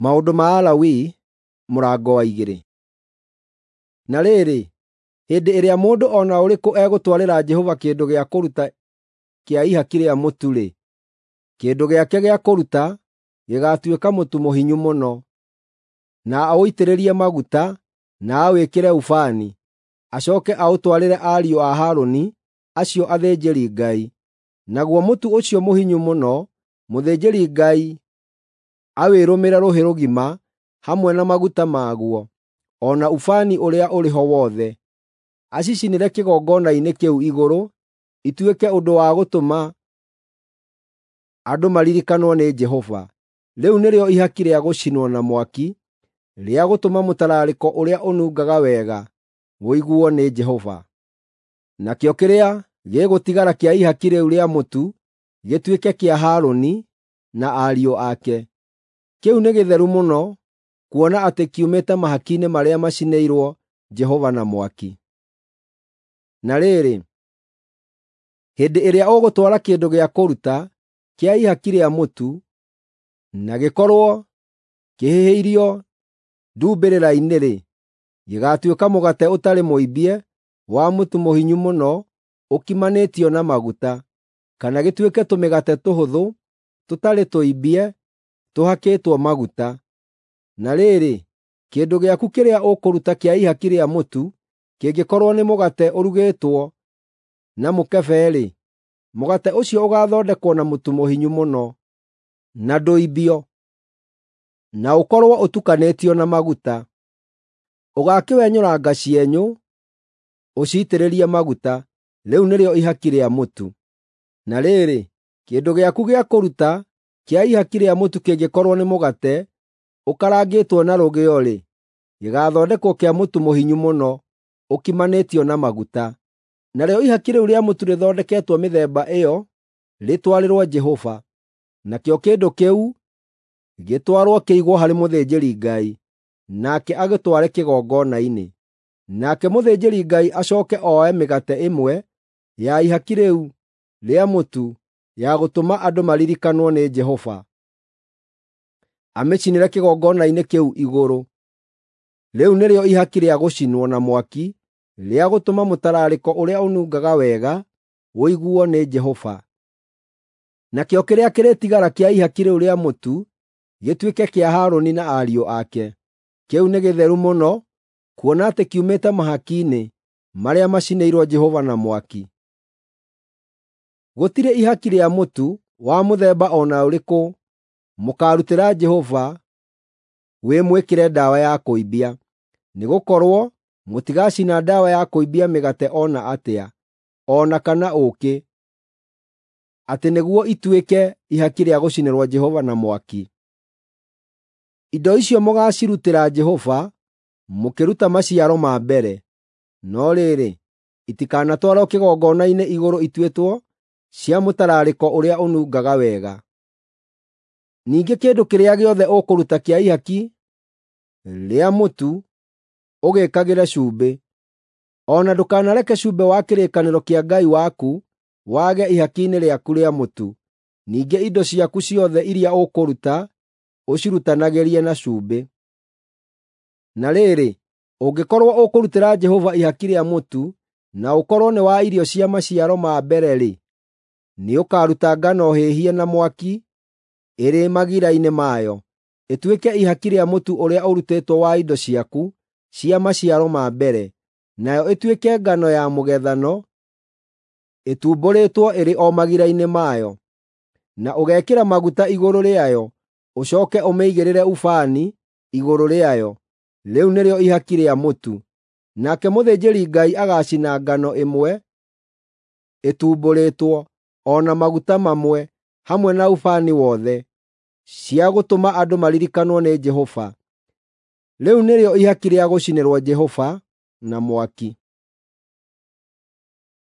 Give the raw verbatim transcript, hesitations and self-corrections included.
Maũndũ ma Alawii mũrango wa igĩrĩ. Na rĩrĩ, hĩndĩ ĩrĩa mũndũ o na ũrĩkũ egũtwarĩra Jehova kĩndũ gĩa kũruta kĩa ihaki rĩa mũtu-rĩ, kĩndũ gĩake gĩa kũruta gĩgaatuĩka mũtu mũhinyu mũno, na aũitĩrĩrie maguta na awĩkĩre ũbani, acooke aũtwarĩre ariũ a Harũni acio athĩnjĩri-Ngai. Naguo mũtu ũcio mũhinyu mũno, mũthĩnjĩri-Ngai awĩrũmĩre rũhĩ rũgima hamwe na maguta maguo, o na ũbani ũrĩa ũrĩ ho wothe, acicinĩre kĩgongona-inĩ kĩu igũrũ, ituĩke ũndũ wa gũtũma andũ maririkanwo nĩ Jehova. Rĩu nĩrĩo ihaki rĩa gũcinwo na mwaki, rĩa gũtũma mũtararĩko ũrĩa ũnungaga wega ũiguo nĩ Jehova. Nakĩo kĩrĩa gĩgũtigara kĩa ihaki rĩu rĩa mũtu gĩtuĩke kĩa Harũni na ariũ ake. Kĩu nĩ gĩtheru mũno, kuona atĩ kiumĩte mahaki-inĩ marĩa macinĩirwo Jehova na mwaki. Na rĩrĩ, hĩndĩ ĩrĩa ũgũtwara kĩndũ gĩa kũruta kĩa ihaki rĩa mũtu, na gĩkorwo kĩhĩhĩirio ndumbĩrĩra-inĩ-rĩ, gĩgaatuĩka mũgate ũtarĩ mũimbie wa mũtu mũhinyu mũno ũkimanĩtio na maguta, kana gĩtuĩke tũmĩgate tũhũthũ tũtarĩ tũimbie tũhakĩtwo maguta. Na rĩrĩ, kĩndũ gĩaku kĩrĩa ũkũruta kĩa ihaki rĩa mũtu kĩngĩkorwo nĩ mũgate ũrugĩtwo na mũkebe-rĩ, mũgate ũcio ũgaathondekwo na mũtu mũhinyu mũno, na ndũimbio, na ũkorwo ũtukanĩtio na maguta. Ũgaakĩwenyũranga cienyũ, ũciitĩrĩrie maguta. Rĩu nĩrĩo ihaki rĩa mũtu. Na rĩrĩ, kĩndũ gĩaku gĩa kũruta kĩa ihaki rĩa mũtu kĩngĩkorwo nĩ mũgate ũkarangĩtwo na rũgĩo-rĩ, gĩgaathondekwo kĩa mũtu mũhinyu mũno ũkimanĩtio na maguta. Narĩo ihaki rĩu rĩa mũtu rĩthondeketwo mĩthemba ĩyo rĩtwarĩrwo Jehova, nakĩo kĩndũ kĩu gĩtwarwo kĩigwo harĩ mũthĩnjĩri-Ngai, nake agĩtware kĩgongona-inĩ. Nake mũthĩnjĩri-Ngai acooke oe mĩgate ĩmwe ya ihaki rĩu rĩa mũtu ya gũtũma andũ maririkanwo nĩ Jehova, amĩcinĩre kĩgongona-inĩ kĩu igũrũ. Rĩu nĩrĩo ihaki rĩa gũcinwo na mwaki rĩa gũtũma mũtararĩko ũrĩa ũnungaga wega ũiguo nĩ Jehova. Nakĩo kĩrĩa kĩrĩtigara kĩa ihaki rĩu rĩa mũtu gĩtuĩke kĩa Harũni na ariũ ake. Kĩu nĩ gĩtheru mũno, kuona atĩ kiumĩte mahaki-inĩ marĩa macinĩirwo Jehova na mwaki. Gũtirĩ ihaki rĩa mũtu wa mũthemba o na ũrĩkũ mũkaarutĩra Jehova wĩ mwĩkĩre ndawa ya kũimbia, nĩgũkorwo mũtigacina ndawa ya kũimbia mĩgate o na atĩa, o na kana ũũkĩ, atĩ nĩguo ituĩke ihaki rĩa gũcinĩrwo Jehova na mwaki. Indo icio mũgaacirutĩra Jehova mũkĩruta maciaro ma mbere. No rĩrĩ, itikanatwarwo kĩgongona-inĩ igũrũ ituĩtwo cia mũtararĩko ũrĩa ũnungaga wega. Ningĩ kĩndũ kĩrĩa gĩothe ũkũruta kĩa ihaki rĩa mũtu ũgĩĩkagĩre cumbĩ. O na ndũkanareke cumbĩ wa kĩrĩkanĩro kĩa Ngai waku wage ihaki-inĩ rĩaku rĩa mũtu. Ningĩ indo ciaku ciothe iria ũkũruta ũcirutanagĩrie na cumbĩ. Na rĩrĩ, ũngĩkorwo ũkũrutĩra Jehova ihaki rĩa mũtu, na ũkorwo nĩ wa irio cia maciaro ma mbere-rĩ, nĩũkaruta ngano hĩhie na mwaki ĩrĩ magira-inĩ mayo, ĩtuĩke ihaki rĩa mũtu ũrĩa ũrutĩtwo wa indo ciaku cia maciaro ma mbere, nayo ĩtuĩke ngano ya mũgethano ĩtumbũrĩtwo ĩrĩ o magira-inĩ mayo. Na ũgekĩra maguta igũrũ rĩayo, ũcooke ũmĩigĩrĩre ũbani igũrũ rĩayo. Rĩu nĩrĩo ihaki rĩa mũtu. Nake mũthĩnjĩri-Ngai agaacina ngano ĩmwe ĩtumbũrĩtwo, o na maguta mamwe, hamwe na ũbani wothe, cia gũtũma andũ maririkanwo nĩ Jehova. Rĩu nĩrĩo ihaki rĩa gũcinĩrwo Jehova na mwaki.